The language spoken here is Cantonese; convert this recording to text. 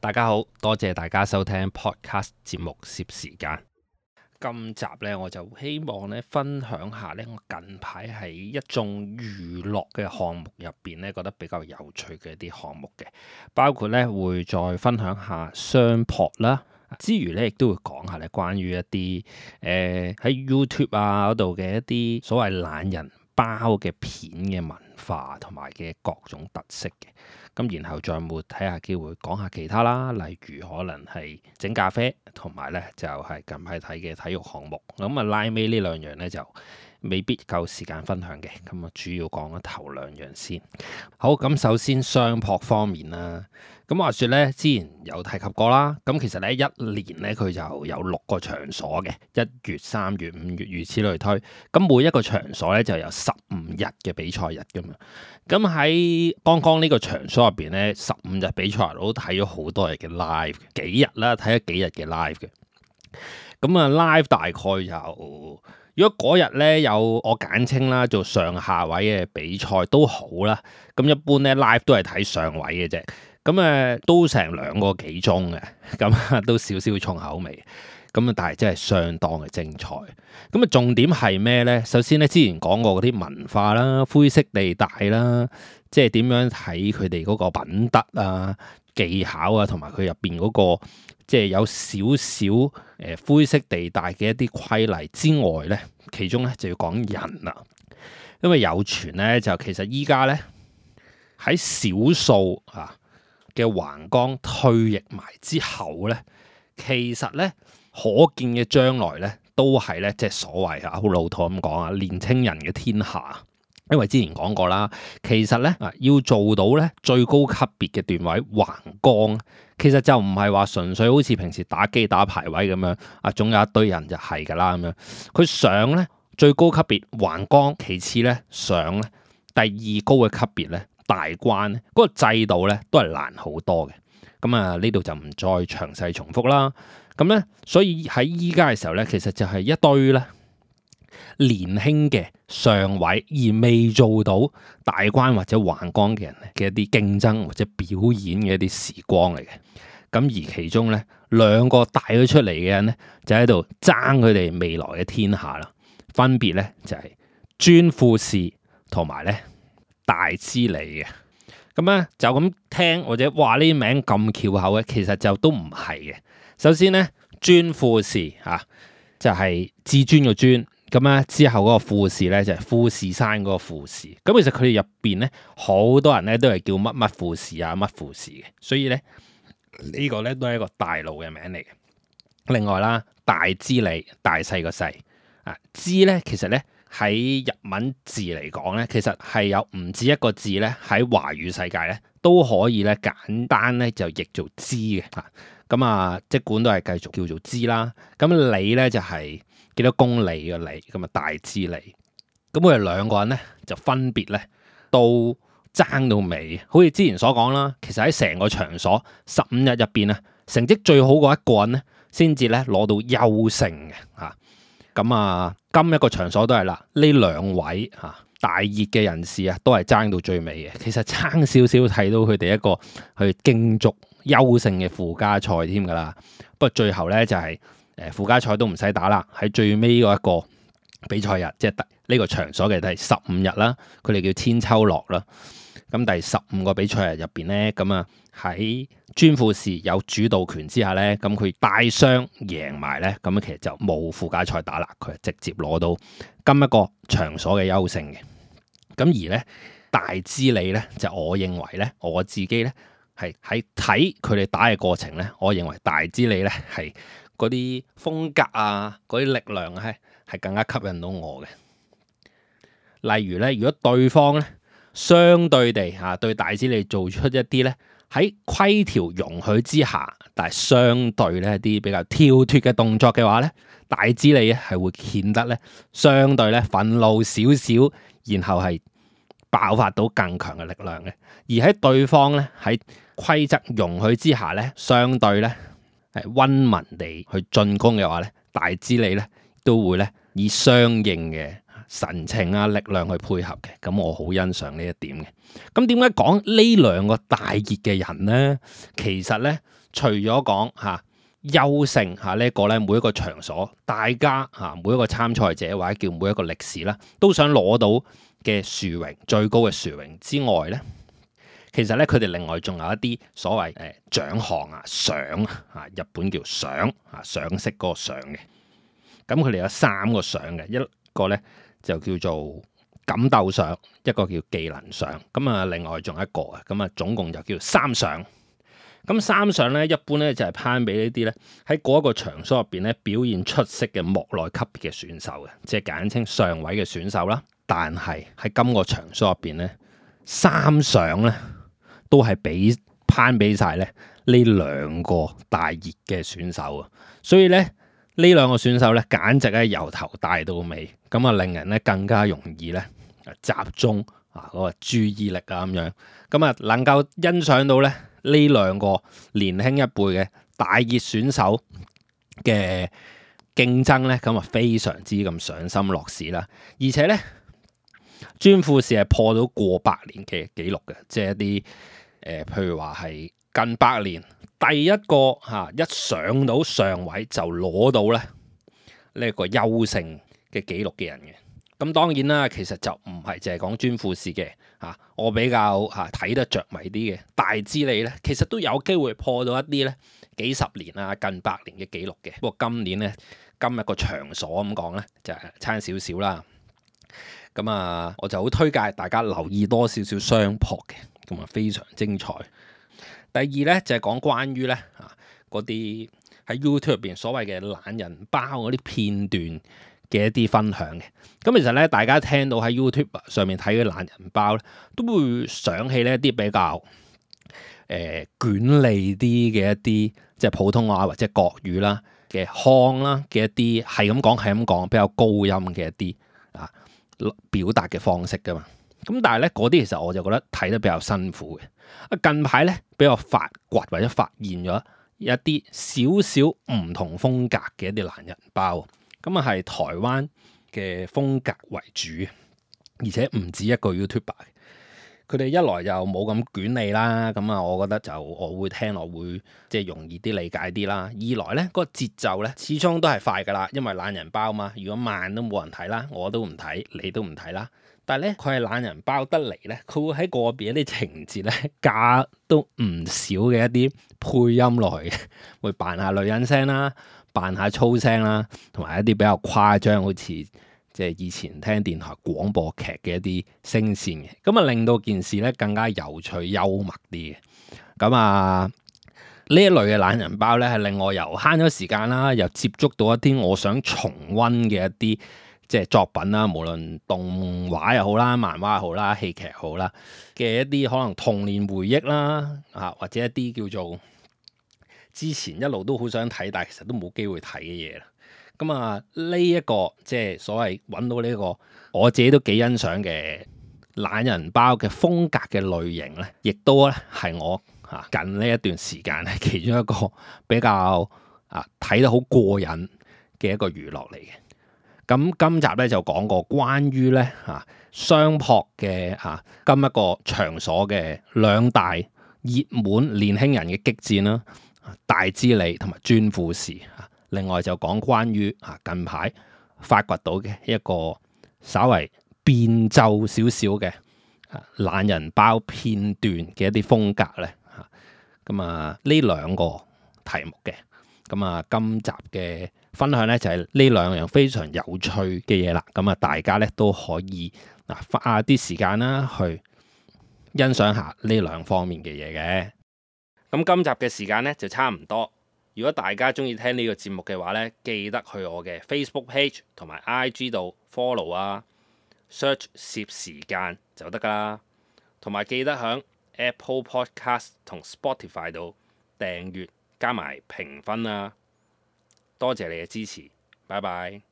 大家好，多謝大家收聽 Podcast 節目攝時間。今集呢，我就希望呢分享下呢，我近排喺一眾娛樂嘅項目入邊呢，覺得比較有趣嘅一啲項目嘅，包括呢會再分享下相撲啦，之餘呢亦都會講下呢關於一啲喺 YouTube 啊嗰度嘅一啲所謂懶人包嘅片嘅文化同埋嘅各種特色嘅。咁然後再冇睇下機會講下其他啦，例如可能係整咖啡，同埋咧就係近排睇嘅體育項目。咁啊拉尾呢兩樣咧就未必夠時間分享嘅，咁啊主要講咗頭兩樣先。好，咁首先相撲方面啦，咁話說咧之前有提及過啦，咁其實咧一年咧佢就有6個場所嘅，1月、3月、5月如此類推。咁每一個場所咧就有15日嘅比賽日噶嘛。咁喺剛剛呢個場所入邊咧，15日比賽我都睇咗好多日嘅 live， 幾日啦，睇咗幾日嘅 live 嘅。咁啊 live 大概就，如果嗰日咧有我簡稱啦做上下位嘅比賽都好啦，咁一般咧 live 都係睇上位嘅啫。咁都成2個幾鐘嘅，咁都少少重口味。咁但係真係相當嘅精彩。咁重點係咩呢？首先咧，之前講過嗰啲文化啦、灰色地帶啦，即係點樣睇佢哋嗰個品德啊、技巧啊，同埋佢入邊嗰個即係有少少灰色地帶嘅一啲規例之外呢，其中咧就要講人啦。因為有傳咧，就其實依家咧喺少數嘅橫綱退役埋之後咧，其實咧可見嘅將來咧，都係咧即係所謂好老土咁講啊，年青人嘅天下。因為之前講過啦，其實咧要做到咧最高級別嘅段位橫綱，其實就唔係話純粹好似平時打機打排位咁樣總有一堆人就係㗎啦咁樣。佢上咧最高級別橫綱，其次咧上咧第2高嘅級別咧大關咧，嗰個制度咧都係難好多嘅。咁呢度就唔再詳細重複啦。咁咧，所以喺依家嘅時候咧，其實就係一堆咧年輕嘅上位而未做到大關或者橫綱嘅人嘅一啲競爭或者表演嘅一啲時光嚟嘅。咁而其中咧2個帶咗出嚟嘅人咧，就喺度爭佢哋未來嘅天下啦。分別咧就係尊富士同埋咧大之利嘅。咁咧就咁聽或者話呢啲名咁翹口嘅，其實就都唔係嘅。首先咧，尊富士就係至尊個尊，咁咧之後嗰個富士咧就係富士山嗰個富士。咁其實佢哋入邊咧好多人咧都係叫乜乜富士啊乜富士嘅，所以咧呢個咧都係一個大路嘅名嚟嘅。另外啦，大之利，大細個細之咧其實咧喺日文字嚟講咧，其實係有唔止一個字咧喺華語世界咧都可以咧簡單咧就譯做之嘅。咁即管都係繼續叫做之啦。咁里咧就係幾多公里嘅里，咁大之利。咁佢哋2個人咧就分別咧都爭到尾。好似之前所講啦，其實喺成個場所15日入邊啊，成績最好嗰一個人咧，先至咧攞到優勝嘅嚇。咁今一個場所都係啦，呢2位大熱嘅人士都係爭到最尾嘅。其實爭少少睇到佢哋一個去競逐優勝嘅附加賽添㗎啦。不過最後咧就係附加賽都唔使打啦，喺最尾嗰一個比賽日，即係呢個場所嘅第15日啦，佢哋叫千秋樂啦。咁第15個比賽日入邊咧，咁喺尊富士有主導權之下咧，咁佢帶雙贏埋咧，咁其實就冇附加賽打啦，佢係直接攞到今一個場所嘅優勝嘅。咁而咧大之利咧，就我認為咧，我自己咧係喺睇佢哋打嘅過程咧，我認為大之利咧係嗰啲風格嗰啲力量係更加吸引到我嘅。例如咧，如果對方咧相對地對大之利做出一啲咧喺規條容許之下，但係相對咧一啲比較跳脫嘅動作嘅話咧，大之利咧係會顯得咧相對咧憤怒少少，然後係爆發到更強嘅力量嘅。而喺對方咧喺規則容許之下咧，相對咧係溫文地去進攻嘅話咧，大之利咧都會咧以相應嘅神情力量去配合嘅。咁我好欣賞呢一點嘅。咁點解講呢2個大熱嘅人呢？其實咧除咗講優勝呢一個咧，每一個場所，大家每一個參賽者或者叫每一個歷史啦，都想攞到嘅殊榮，最高嘅殊榮之外咧，其實咧佢哋另外仲有一啲所謂獎項賞日本叫賞賞識嗰個賞嘅。咁佢哋有3個賞嘅，一個咧就叫做感鬥賞，一個叫技能賞，咁啊另外仲有一個啊，咁啊總共就叫3賞。咁3賞咧，一般咧就係頒俾呢啲咧喺嗰一個場所入邊咧表現出色嘅幕內級別嘅選手嘅，即係簡稱上位嘅選手啦。但係喺今個場所入邊咧，3賞咧都係頒俾晒咧呢2個大熱嘅選手啊，所以咧呢2個選手咧簡直係由頭帶到尾，咁啊令人咧更加容易咧集中嗰個注意力咁樣，咁啊能夠欣賞到咧呢2個年輕一輩嘅大熱選手嘅競爭咧，咁啊非常之咁賞心樂事啦。而且咧，尊富士係破到過百年嘅紀錄嘅，即係一啲譬如話係近100年第一個一上到上位就攞到咧呢一個優勝嘅紀錄嘅人嘅。咁當然啦，其實就唔係淨係講尊富士嘅我比較睇得着迷啲嘅大之利咧，其實都有機會破到一啲咧幾十年近100年嘅紀錄嘅。不過今年咧，今日個場所咁講咧就差少少啦。咁我就好推介大家留意多少少相撲嘅，咁非常精彩。第二咧就係講關於咧嗰啲喺 YouTube 入邊所謂嘅懶人包嗰啲片段嘅一啲分享嘅。咁其實咧，大家聽到喺 YouTube 上面睇嘅懶人包咧，都會想起呢一啲比較捲利啲嘅一啲即係普通話或者國語啦嘅腔啦嘅一啲係咁講比較高音嘅一啲表達嘅方式噶嘛。咁但係咧嗰啲其實我就覺得睇得比較辛苦嘅。近排咧比較發掘或者發現咗一啲少少唔同風格嘅一啲懶人包，咁係台灣嘅風格為主，而且唔止一個 YouTuber。佢哋一來就冇咁捲利啦，咁我覺得我會聽落會即係容易啲理解啲啦。二來咧個節奏咧始終都係快噶啦，因為懶人包嘛，如果慢都冇人睇啦，我都唔睇，你都唔睇啦。但係咧佢係懶人包得嚟咧，佢會喺個別一啲情節咧加都唔少嘅一啲配音落去嘅，會扮下女人聲啦，扮下粗聲啦，同埋一啲比較誇張，好似即係以前聽電台廣播劇嘅一啲聲線嘅，咁令到件事咧更加有趣幽默啲嘅。咁呢一類嘅懶人包咧，係令我又慳咗時間啦，又接觸到一啲我想重溫嘅一啲即係作品啦，無論動畫又好啦、漫畫又好啦、戲劇又好啦嘅一啲可能童年回憶啦，或者一啲叫做之前一路都好想睇，但係其實都冇機會睇嘅嘢啦。咁呢一個即係所謂揾到呢個我自己都幾欣賞嘅懶人包嘅風格嘅類型咧，亦都咧係我近呢一段時間咧其中一個比較睇得好過癮嘅一個娛樂嚟嘅。咁今集咧就講過關於咧相撲嘅今一個場所嘅2大熱門年輕人嘅激戰啦，大之利同埋尊富士。另外就講關於近排發掘到嘅一個稍為變奏少少嘅懶人包片段嘅一啲風格咧，咁呢2個題目嘅，咁今集嘅分享咧就係呢2樣非常有趣嘅嘢啦，咁大家咧都可以花啲時間啦去欣賞下呢2方面嘅嘢嘅。咁今集嘅時間咧就差唔多。如果大家中意聽呢個節目嘅話咧，記得去我嘅 Facebook page 同埋 IG 度 follow search 攝時間就得噶啦。同埋記得響 Apple Podcast 同 Spotify 度訂閱加埋評分啊！多謝你嘅支持，拜拜。